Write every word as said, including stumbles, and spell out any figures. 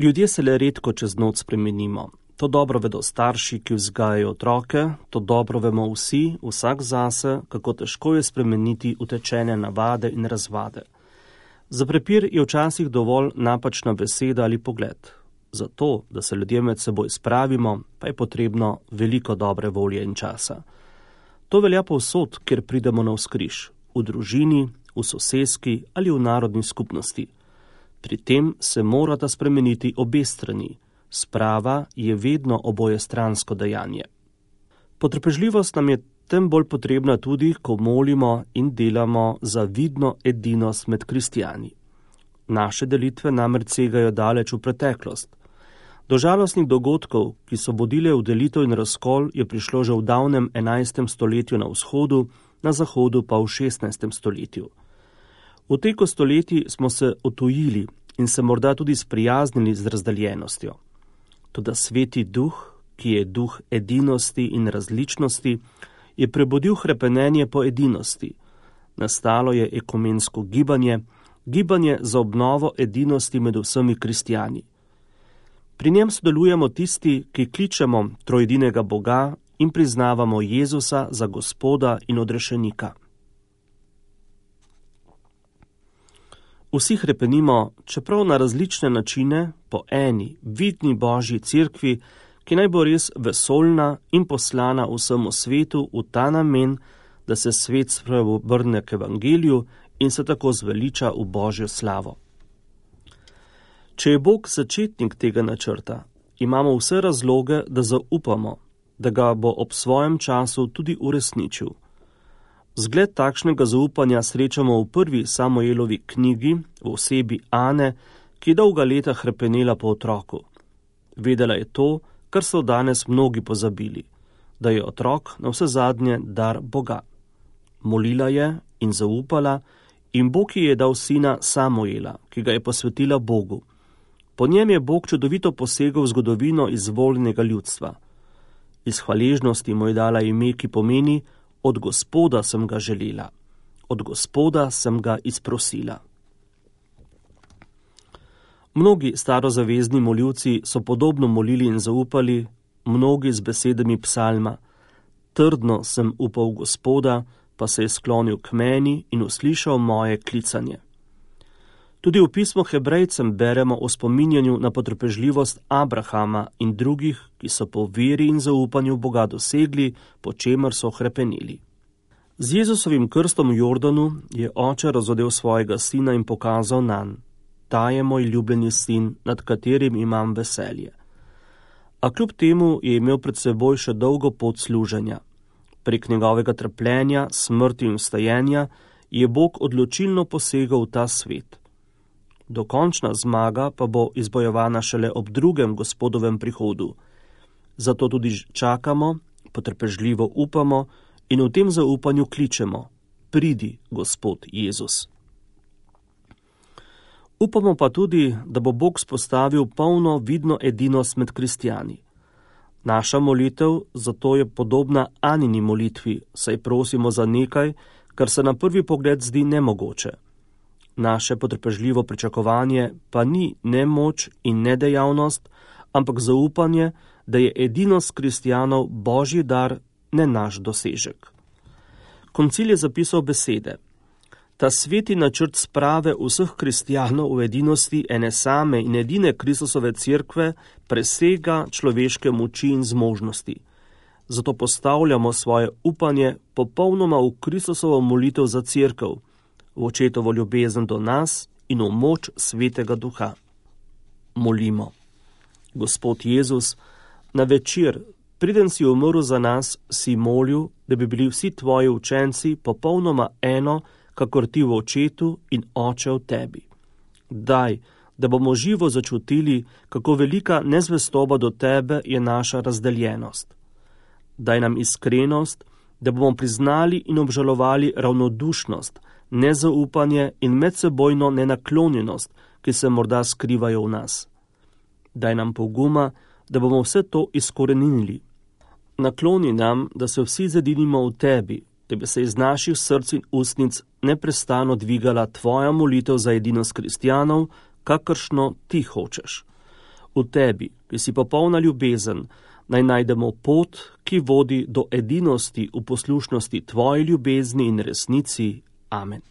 Ljudje se le redko čez noč spremenimo. To dobro vedo starši, ki vzgajajo otroke, to dobro vemo vsi, vsak zase, kako težko je spremeniti utečene navade in razvade. Za prepir je včasih dovolj napačna beseda ali pogled. Zato, da se ljudje med seboj spravimo, pa je potrebno veliko dobre volje in časa. To velja povsod, kjer pridemo navzkriž, v družini, v soseski ali v narodni skupnosti. Pri tem se morata spremeniti obe strani. Sprava je vedno obojestransko dejanje. Potrpežljivost nam je tem bolj potrebna tudi, ko molimo in delamo za vidno edinost med kristijani. Naše delitve namreč segajo daleč v preteklost. Do žalostnih dogodkov, ki so vodile v delitev in razkol, je prišlo že v davnem enajstem stoletju na vzhodu, na zahodu pa v šestnajstem stoletju. V teku stoletij smo se otujili in se morda tudi sprijaznili z razdaljenostjo. Toda Sveti Duh, ki je duh edinosti in različnosti, je prebudil hrepenenje po edinosti. Nastalo je ekumensko gibanje, gibanje za obnovo edinosti med vsemi kristijani. Pri njem sodelujemo tisti, ki kličemo trojedinega Boga in priznavamo Jezusa za Gospoda in odrešenika. Vsi hrepenimo, čeprav na različne načine, po eni, vidni Božji cerkvi, ki naj bo res vesoljna in poslana vsemu svetu v ta namen, da se svet spreobrne k evangeliju in se tako zveliča v Božjo slavo. Če je Bog začetnik tega načrta, imamo vse razloge, da zaupamo, da ga bo ob svojem času tudi uresničil. Zgled takšnega zaupanja srečamo v prvi Samuelovi knjigi v osebi Ane, ki je dolga leta hrepenela po otroku. Vedela je to, kar so danes mnogi pozabili, da je otrok na vse zadnje dar Boga. Molila je in zaupala in Bog ji je dal sina Samuela, ki ga je posvetila Bogu. Po njem je Bog čudovito posegel v zgodovino izvoljenega ljudstva. Iz hvaležnosti mu je dala ime, ki pomeni: od Gospoda sem ga želela, od Gospoda sem ga izprosila. Mnogi starozavezni moljivci so podobno molili in zaupali, mnogi z besedami psalma: trdno sem upal v Gospoda, pa se je sklonil k meni in uslišal moje klicanje. Tudi v pismu Hebrejcem beremo o spominjanju na potrpežljivost Abrahama in drugih, ki so po veri in zaupanju Boga dosegli, po čemer so hrepenili. Z Jezusovim krstom v Jordanu je oče razodel svojega sina in pokazal nanj: ta je moj ljubljeni sin, nad katerim imam veselje. A kljub temu je imel pred seboj še dolgo pot služenja. Prek njegovega trpljenja, smrti in vstajenja je Bog odločilno posegal v ta svet. Dokončna zmaga pa bo izbojevana šele ob drugem Gospodovem prihodu. Zato tudi čakamo, potrpežljivo upamo in v tem zaupanju kličemo: pridi, Gospod Jezus. Upamo pa tudi, da bo Bog spostavil polno vidno edinost med kristijani. Naša molitev zato je podobna Anini molitvi, saj prosimo za nekaj, kar se na prvi pogled zdi nemogoče. Naše potrpežljivo pričakovanje pa ni nemoč in nedejavnost, ampak zaupanje, da je edinost kristjanov Božji dar, ne naš dosežek. Koncil je zapisal besede: ta sveti načrt sprave vseh kristjanov v edinosti ene same in edine Kristusove cerkve presega človeške moči in zmožnosti. Zato postavljamo svoje upanje popolnoma v Kristusovo molitev za cerkev, v očetovo ljubezen do nas in v moč Svetega Duha. Molimo: Gospod Jezus, na večer, preden si umrl za nas, si molil, da bi bili vsi tvoji učenci popolnoma eno, kakor ti v očetu in oče v tebi. Daj, da bomo živo začutili, kako velika nezvestoba do tebe je naša razdeljenost. Daj nam iskrenost, da bomo priznali in obžalovali ravnodušnost, nezaupanje in medsebojno nenaklonjenost, ki se morda skrivajo v nas. Daj nam poguma, da bomo vse to izkorenili. Nakloni nam, da se vsi zedinimo v tebi, da bi se iz naših src in ustnic neprestano dvigala tvoja molitev za edinost kristjanov, kakršno ti hočeš. V tebi, ki si popolna ljubezen, naj najdemo pot, ki vodi do edinosti v poslušnosti tvoji ljubezni in resnici. Amen.